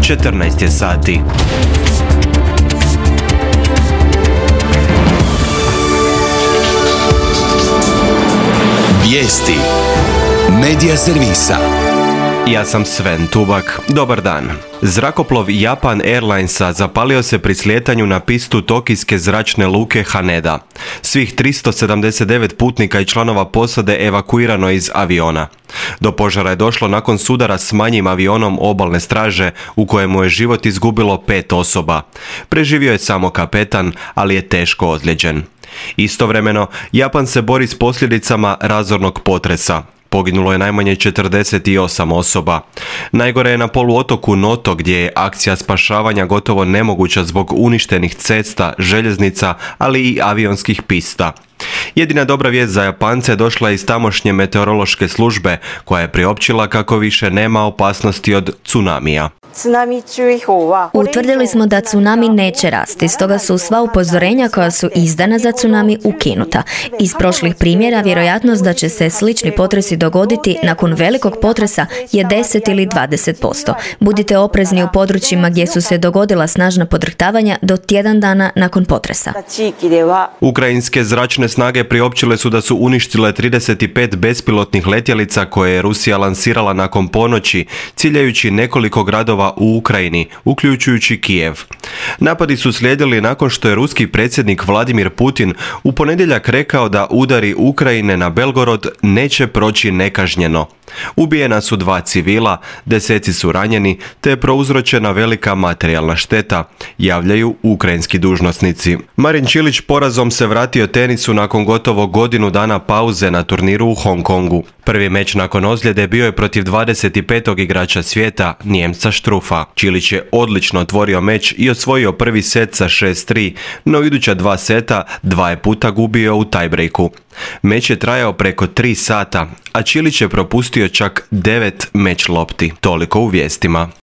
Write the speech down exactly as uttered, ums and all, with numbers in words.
četrnaest je sati. Vijesti Medija servisa. Ja sam Sven Tubak. Dobar dan. Zrakoplov Japan Airlinesa zapalio se pri slijetanju na pistu tokijske zračne luke Haneda. Svih tristo sedamdeset devet putnika i članova posade evakuirano iz aviona. Do požara je došlo nakon sudara s manjim avionom obalne straže u kojemu je život izgubilo pet osoba. Preživio je samo kapetan, ali je teško ozlijeđen. Istovremeno, Japan se bori s posljedicama razornog potresa. Poginulo je najmanje četrdeset osam osoba. Najgore je na poluotoku Noto, gdje je akcija spašavanja gotovo nemoguća zbog uništenih cesta, željeznica, ali i avionskih pista. Jedina dobra vijest za Japance došla je iz tamošnje meteorološke službe, koja je priopćila kako više nema opasnosti od tsunamija. Utvrdili smo da tsunami neće rasti, stoga su sva upozorenja koja su izdana za tsunami ukinuta. Iz prošlih primjera vjerojatnost da će se slični potresi dogoditi nakon velikog potresa je deset ili dvadeset posto. Budite oprezni u područjima gdje su se dogodila snažna podrhtavanja do tjedan dana nakon potresa. Ukrajinske zračne snage priopćile su da su uništile trideset pet bespilotnih letjelica koje je Rusija lansirala nakon ponoći, ciljajući nekoliko gradova u Ukrajini, uključujući Kijev. Napadi su slijedili nakon što je ruski predsjednik Vladimir Putin u ponedjeljak rekao da udari Ukrajine na Belgorod neće proći nekažnjeno. Ubijena su dva civila, deseci su ranjeni, te je prouzročena velika materijalna šteta, javljaju ukrajinski dužnosnici. Marin Čilić porazom se vratio tenisu nakon gotovo godinu dana pauze na turniru u Hong Kongu. Prvi meč nakon ozljede bio je protiv dvadeset petog igrača svijeta, Njemca Štrufa. Čilić je odlično otvorio meč i osvojio prvi set sa šest tri, no iduća dva seta dva je puta gubio u tiebreaku. Meč je trajao preko tri sata, a Čilić je propustio čak devet meč lopti. Toliko u vijestima.